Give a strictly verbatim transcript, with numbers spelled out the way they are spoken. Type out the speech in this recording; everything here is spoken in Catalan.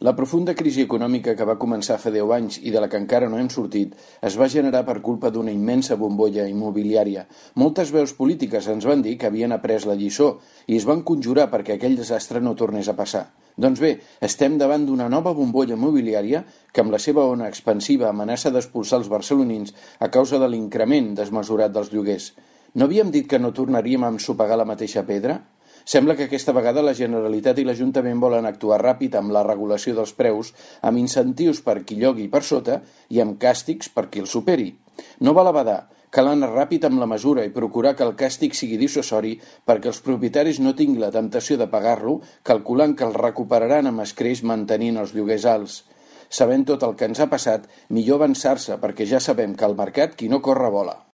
La profunda crisi econòmica que va començar fa deu anys i de la que encara no hem sortit es va generar per culpa d'una immensa bombolla immobiliària. Moltes veus polítiques ens van dir que havien après la lliçó i es van conjurar perquè aquell desastre no tornés a passar. Doncs bé, estem davant d'una nova bombolla immobiliària que amb la seva ona expansiva amenaça d'expulsar els barcelonins a causa de l'increment desmesurat dels lloguers. No havíem dit que no tornaríem a ensopegar la mateixa pedra? Sembla que aquesta vegada la Generalitat i l'Ajuntament volen actuar ràpid amb la regulació dels preus, amb incentius per qui llogui per sota i amb càstigs per qui el superi. No val a badar, cal anar ràpid amb la mesura i procurar que el càstig sigui dissuasori perquè els propietaris no tinguin la temptació de pagar-lo, calculant que el recuperaran amb escreix mantenint els lloguers alts. Sabent tot el que ens ha passat, millor avançar-se perquè ja sabem que al mercat qui no corre vola.